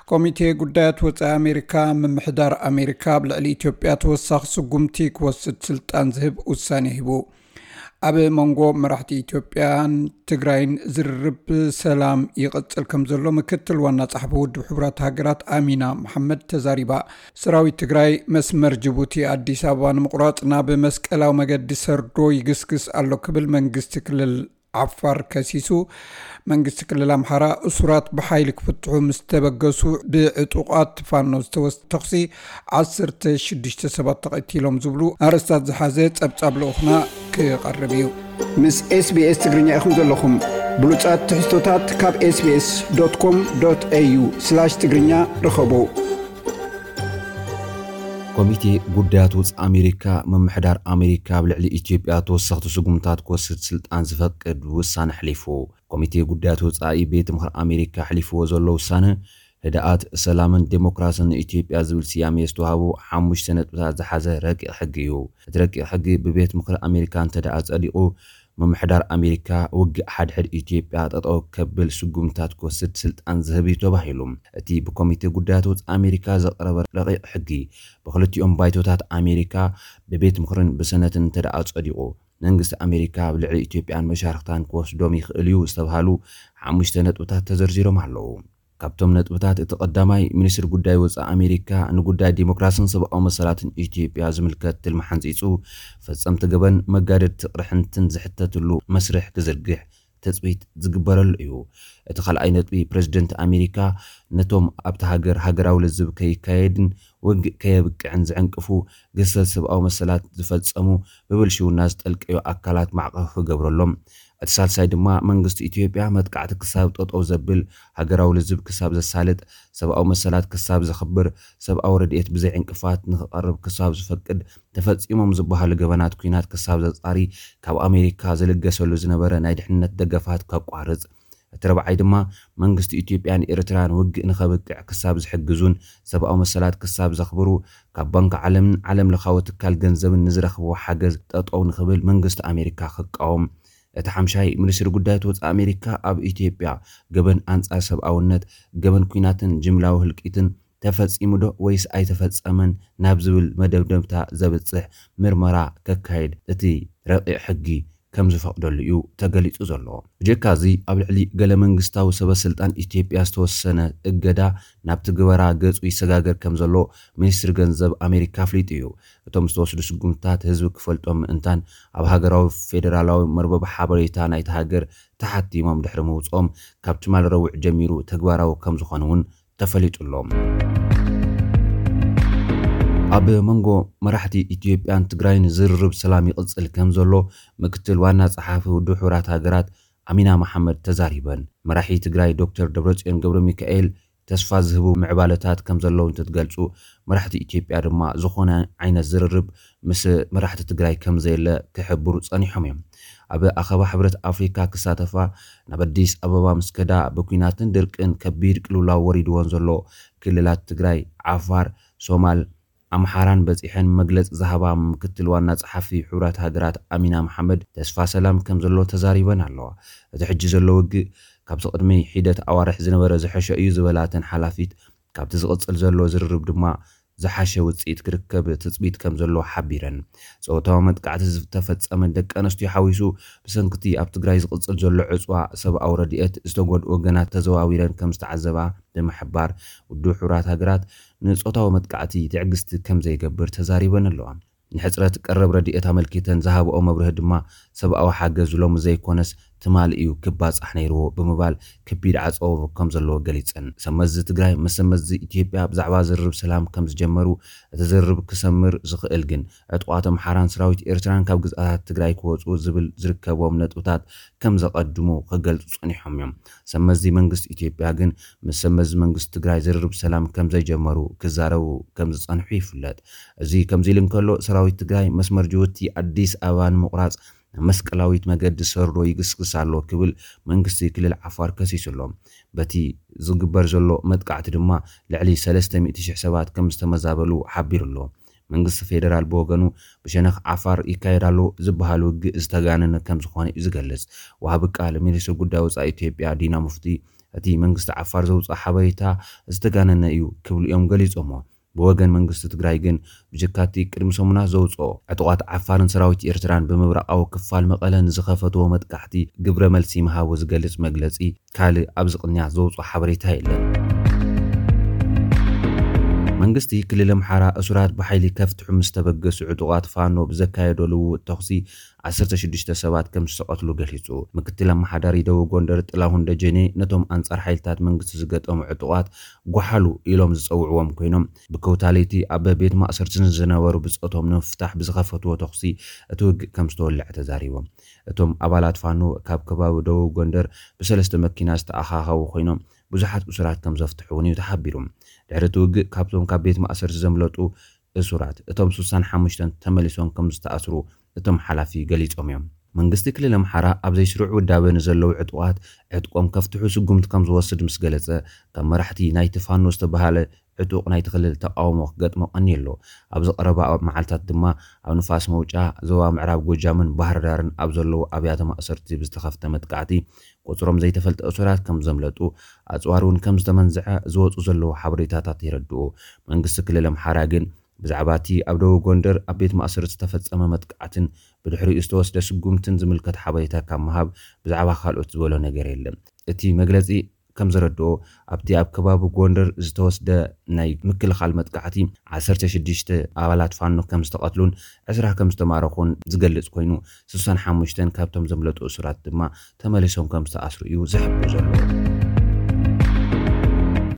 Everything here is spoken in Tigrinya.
ኮሚቴ ጉዳያት ወጻኢ ኣሜሪካ፣ ምምሕዳር ኣሜሪካ ኣብ ልዕሊ ኢትዮጵያ ተወሳኺ ስጉምቲ ክወስድ ስልጣን ዝህብ ውሳኔ ሂቡ። ኣብ መንጎ መራሕቲ ኢትዮጵያን ትግራይን ዝርርብ ሰላም ይቕጽል ከም ዘሎ ምክትል ዋና ጸሓፊ ውድብ ሕቡራት ሃገራት ኣሚና መሓመድ ተዛሪባ። ሰራዊት ትግራይ መስመር ጅቡቲ ኣዲስ ኣበባ ንምቑራጽ ናብ መስቀላዊ መገዲ ሰርዶ ይግስግስ ኣሎ ክብል መንግስቲ ክልል ዓፋር ከሲሱ። መንግስቲ ክልል ኣምሓራ እሱራት ብሓይሊ ክፍትሑ ምስ ተበገሱ ብዕጡቓት ፋኖ ዝተወስደ ተኹሲ ዓሰርተ ሽዱሽተ ሰባት ተቐቲሎም ዝብሉ ኣርእስታት ዝሓዘ ጸብጻብ ልኡኽና ክቐርብ እዩ። ምስ ኤስቢኤስ ትግርኛ ኢኹም ዘለኹም። ብሉጻት ትሕዝቶታት ካብ ኤስቢኤስ ዶት ኮም ዶት ኤዩ ስላሽ ትግርኛ ርኸቡ። ኮሚቴ ጉዳያት ወጻኢ ኣሜሪካ፣ ምምሕዳር ኣሜሪካ ኣብ ልዕሊ ኢትዮጵያ ተወሰኽቲ ስጉምታት ክወስድ ስልጣን ዝፈቅድ ውሳነ ኣሕሊፉ። ኮሚቴ ጉዳያት ወጻኢ ቤት ምኽሪ ኣሜሪካ ኣሕሊፍዎ ዘሎ ውሳነ፣ ህድኣት፣ ሰላምን ዴሞክራስን ንኢትዮጵያ ዝብል ስያሜ ዝተዋህቦ ሓሙሽተ ነጥብታት ዝሓዘ ረቂቕ ሕጊ እዩ። እቲ ረቂቕ ሕጊ ብቤት ምኽሪ ኣሜሪካ እንተ ደኣ ጸዲቑ፣ ምምሕዳር ኣሜሪካ ውግእ ሓድሕድ ኢትዮጵያ ጠጠው ከብል ስጉምታት ክወስድ ስልጣን ዝህብ እዩ ተባሂሉ። እቲ ብኮሚቴ ጉዳያት ወጻኢ ኣሜሪካ ዝቐረበ ረቂቕ ሕጊ፣ ብክልቲኦም ባይቶታት ኣሜሪካ ብቤት ምኽርን ብሰነትን እንተ ደኣ ጸዲቑ፣ መንግስቲ ኣሜሪካ ኣብ ልዕሊ ኢትዮጵያን መሻርክታን ክወስዶም ይኽእል እዩ ዝተባሃሉ ሓሙሽተ ነጥብታት ተዘርዚሮም ኣለዉ። ካብቶም ነጥብታት እቲ ቀዳማይ፣ ሚኒስትሪ ጉዳይ ወጻኢ ኣሜሪካ ንጉዳይ ዲሞክራስን ሰብኣዊ መሰላትን ኢትዮጵያ ዝምልከት ትልሚ ሓንጺጹ፣ ፈጸምቲ ገበን፣ መጋደድቲ ቅርሕንትን ዝሕተትሉ መስርሕ ክዝርግሕ ትጽቢት ዝግበረሉ እዩ። እቲ ካልኣይ ነጥቢ፣ ፕረዚደንት ኣሜሪካ ነቶም ኣብቲ ሃገር ሃገራዊ ልዝብ ከይካየድን ውግእ ከየብቅዕን ዝዕንቅፉ ግህሰት ሰብኣዊ መሰላት ዝፈጸሙ፣ ብብልሽውና ዝጠልቀዩ ኣካላት ማዕቐብ ክገብረሎም፣ እቲ ሳልሳይ ድማ መንግስቲ ኢትዮጵያ መጥቃዕቲ ክሳብ ጠጠው ዘብል፣ ሃገራዊ ልዝብ ክሳብ ዘሳልጥ፣ ሰብኣዊ መሰላት ክሳብ ዘኽብር፣ ሰብኣዊ ረድኤት ብዘይ ዕንቅፋት ንኽቐርብ ክሳብ ዝፈቅድ፣ ተፈጺሞም ዝበሃሉ ገበናት ኲናት ክሳብ ዘጻሪ፣ ካብ ኣሜሪካ ዝልገሰሉ ዝነበረ ናይ ድሕነት ደገፋት ከቋርጽ፣ እቲ ረብዓይ ድማ መንግስቲ ኢትዮጵያን ኤርትራን ውግእ ንኸብቅዕ ክሳብ ዝሕግዙን ሰብኣዊ መሰላት ክሳብ ዘኽብሩ፣ ካብ ባንክ ዓለምን ዓለም ለኻዊ ትካል ገንዘብን ንዝረኽብዎ ሓገዝ ጠጠው ንኽብል መንግስቲ ኣሜሪካ ክቃወም፣ እቲ ሓምሻይ፣ ሚኒስትሪ ጉዳያት ወጻኢ ኣሜሪካ ኣብ ኢትዮጵያ ገበን ኣንጻር ሰብኣውነት፣ ገበን ኲናትን ጅምላዊ ህልቂትን ተፈጺሙ ዶ ወይስ ኣይተፈጸመን ናብ ዝብል መደምደምታ ዘብጽሕ ምርመራ ከካይድ እቲ ረቂቕ ሕጊ ከም ዝፈቕደሉ እዩ ተገሊጹ ዘሎ። ብጀካ እዚ፣ ኣብ ልዕሊ ገለ መንግስታዊ ሰበ ስልጣን ኢትዮጵያ ዝተወሰነ እገዳ ናብ ትግበራ ገጹ ይሰጋገር ከም ዘሎ ሚኒስትሪ ገንዘብ ኣሜሪካ ኣፍሊጡ እዩ። እቶም ዝተወስዱ ስጉምትታት ህዝቢ ክፈልጦም ምእንታን ኣብ ሃገራዊ ፌደራላዊ መርበብ ሓበሬታ ናይቲ ሃገር ተሓቲሞም ድሕሪ ምውጽኦም፣ ካብ ትማል ረቡዕ ጀሚሩ ተግባራዊ ከም ዝኾኑ እውን ተፈሊጡ ኣሎ። ኣብ መንጎ መራሕቲ ኢትዮጵያን ትግራይን ዝርርብ ሰላም ይቕጽል ከም ዘሎ ምክትል ዋና ጸሓፊ ውድብ ሕቡራት ሃገራት ኣሚና መሓመድ ተዛሪበን። መራሒ ትግራይ ዶክተር ደብረጽዮን ገብረ ሚካኤል ተስፋ ዝህቡ ምዕባለታት ከም ዘለዉ እንትትገልጹ፣ መራሕቲ ኢትዮጵያ ድማ ዝኾነ ዓይነት ዝርርብ ምስ መራሕቲ ትግራይ ከም ዘየለ ክሕብሩ ጸኒሖም እዮም። ኣብ ኣኸባ ሕብረት ኣፍሪካ ክሳተፋ ናብ ኣዲስ ኣበባ ምስ ከዳ፣ ብኲናትን ድርቅን ከቢድ ቅልውላው ወሪድወን ዘሎ ክልላት ትግራይ፣ ዓፋር፣ ሶማል፣ ኣምሓራን በጺሐን መግለጺ ዝሃባ ምክትል ዋና ጸሓፊ ሕቡራት ሃገራት ኣሚና መሓመድ፣ ተስፋ ሰላም ከም ዘሎ ተዛሪበን ኣለዋ። እቲ ሕጂ ዘሎ ውግእ ካብቲ ቅድሚ ሒደት ኣዋርሕ ዝነበረ ዝሐሸ እዩ ዝበላ እተን ሓላፊት፣ ካብቲ ዝቕጽል ዘሎ ዝርርብ ድማ ዝሓሸ ውጽኢት ክርከብ ትጽቢት ከም ዘሎ ሓቢረን። ጾታዊ መጥቃዕቲ ዝተፈጸመን ደቂ ኣንስትዮ ሓዊሱ፣ ብሰንክቲ ኣብ ትግራይ ዝቕጽል ዘሎ ዕጽዋ ሰብኣዊ ረድኤት ዝተጎድኡ ወገናት ተዘዋዊረን ከም ዝተዓዘባ ብምሕባር፣ ውድብ ሕቡራት ሃገራት ንጾታዊ መጥቃዕቲ ትዕግስቲ ከም ዘይገብር ተዛሪበን ኣለዋ። ንሕጽረት ቀረብ ረድኤት ኣመልኪተን ዝሃብኦ መብርሂ ድማ፣ ሰብኣዊ ሓገዝ ሎሚ ዘይኮነስ ትማሊ እዩ ክባጻሕ ነይርዎ ብምባል፣ ከቢድ ዓጸቦ ከም ዘለዎ ገሊጸን። ሰመዚ ትግራይ ምስ ሰመዚ ኢትዮጵያ ብዛዕባ ዝርርብ ሰላም ከም ዝጀመሩ፣ እቲ ዝርርብ ክሰምር ዝኽእል ግን ዕጡቓት ኣምሓራን ሰራዊት ኤርትራን ካብ ግዝኣታት ትግራይ ክወጹ ዝብል ዝርከቦም ነጥብታት ከም ዘቐድሙ ክገልጹ ጸኒሖም እዮም። ሰመዚ መንግስቲ ኢትዮጵያ ግን ምስ ሰመዚ መንግስቲ ትግራይ ዝርርብ ሰላም ከም ዘይጀመሩ ክዛረቡ ከም ዝጸንሑ ይፍለጥ። እዚ ከምዚ ኢሉ እንከሎ፣ ሰራዊት ትግራይ መስመር ጅቡቲ ኣዲስ ኣበባ ንምቑራጽ ናብ መስቀላዊት መገዲ ሰርዶ ይግስግስ ኣሎ ክብል መንግስቲ ክልል ዓፋር ከሲሱ ኣሎ። በቲ ዝግበር ዘሎ መጥቃዕቲ ድማ ልዕሊ ሰለስተ ሚእቲ ሽሕ ሰባት ከም ዝተመዛበሉ ሓቢሩ ኣሎ። መንግስቲ ፌደራል ብወገኑ፣ ብሸነኽ ዓፋር ይካየድ ኣሎ ዝበሃል ውግእ ዝተጋነነ ከም ዝኾነ እዩ ዝገልጽ። ወሃቢ ቃል ሚኒስትሪ ጉዳይ ወጻኢ ኢትዮጵያ ዲና ሙፍቲ እቲ መንግስቲ ዓፋር ዘውፅኦ ሓበሬታ ዝተጋነነ እዩ ክብሉ እዮም ገሊፆሞ። ብወገን መንግስቲ ትግራይ ግን ብጀካቲ ቅድሚ ሰሙናት ዘውፅኦ ዕጡቓት ዓፋርን ሰራዊት ኤርትራን ብምብራቓዊ ክፋል መቐለ ንዝኸፈትዎ መጥቃዕቲ ግብረ መልሲ ምሃቡ ዝገልጽ መግለጺ ካልእ ኣብዚ ቅንያት ዘውፅኦ ሓበሬታ የለን። መንግስቲ ክልል ኣምሓራ እሱራት ብሓይሊ ከፍትሑ ምስ ተበገሱ ዕጡቓት ፋኖ ብዘካየዶ ልውውጥ ተኹሲ ዓሰርተ ሽዱሽተ ሰባት ከም ዝተቐትሉ ገሊጹ። ምክትል ኣመሓዳሪ ደቡብ ጎንደር ጥላሁን ደጀኔ ነቶም ኣንጻር ሓይልታት መንግስቲ ዝገጠሙ ዕጡቓት ጓሓሉ ኢሎም ዝጸውዕዎም ኮይኖም ብከውታ ለይቲ ኣብ ቤት ማእሰርቲ ዝነበሩ ብጾቶም ንምፍታሕ ብዝኸፈትዎ ተኹሲ እቲ ውግእ ከም ዝተወልዐ ተዛሪቦም። እቶም ኣባላት ፋኖ ካብ ከባቢ ደቡብ ጎንደር ብሰለስተ መኪና ዝተኣኻኸቡ ኮይኖም ብዙሓት እሱራት ከም ዘፍትሑ እውን እዩ ተሓቢሩ። ድሕሪ እቲ ውግእ ካብቶም ካብ ቤት ማእሰርቲ ዘምለጡ እሱራት እቶም ስሳን ሓሙሽተን ተመሊሶም ከም ዝተኣስሩ እቶም ሓላፊ ገሊጾም እዮም። መንግስቲ ክልል ኣምሓራ ኣብ ዘይስሩዕ ውዳበ ንዘለዉ ዕጡቓት ዕጥቆም ከፍትሑ ስጉምቲ ከም ዝወስድ ምስ ገለጸ ካብ መራሕቲ ናይቲ ፋኖ ዝተባሃለ ዕጡቕ ናይቲ ክልል ተቃውሞ ክገጥሞ ቀኒዩ ኣሎ። ኣብዚ ቀረባ መዓልታት ድማ ኣብ ንፋስ መውጫ ዞባ ምዕራብ ጎጃምን ባህር ዳርን ኣብ ዘለዉ ኣብያተ ማእሰርቲ ብዝተኸፍተ መጥቃዕቲ ቁጽሮም ዘይተፈልጠ እሱራት ከም ዘምለጡ ኣጽዋር እውን ከም ዝተመንዝዐ ዝወፁ ዘለዉ ሓበሬታታት የረድኡ። መንግስቲ ክልል ኣምሓራ ግን ብዛዕባ እቲ ኣብ ደቡብ ጎንደር ኣብ ቤት ማእሰርቲ ዝተፈጸመ መጥቃዕትን ብድሕሪኡ ዝተወስደ ስጉምትን ዝምልከት ሓበሬታ ካብ ምሃብ ብዛዕባ ካልኦት ዝበሎ ነገር የለን። እቲ መግለጺ ከም ዘረድኦ ኣብቲ ኣብ ከባቢ ጎንደር ዝተወስደ ናይ ምክልኻል መጥቃዕቲ ዓሰርተ ሽዱሽተ ኣባላት ፋኖ ከም ዝተቐትሉን ዕስራ ከም ዝተማረኹን ዝገልጽ ኮይኑ ስሳን ሓሙሽተን ካብቶም ዘምለጡ እሱራት ድማ ተመሊሶም ከም ዝተኣስሩ እዩ ዝሕብር ዘሎ።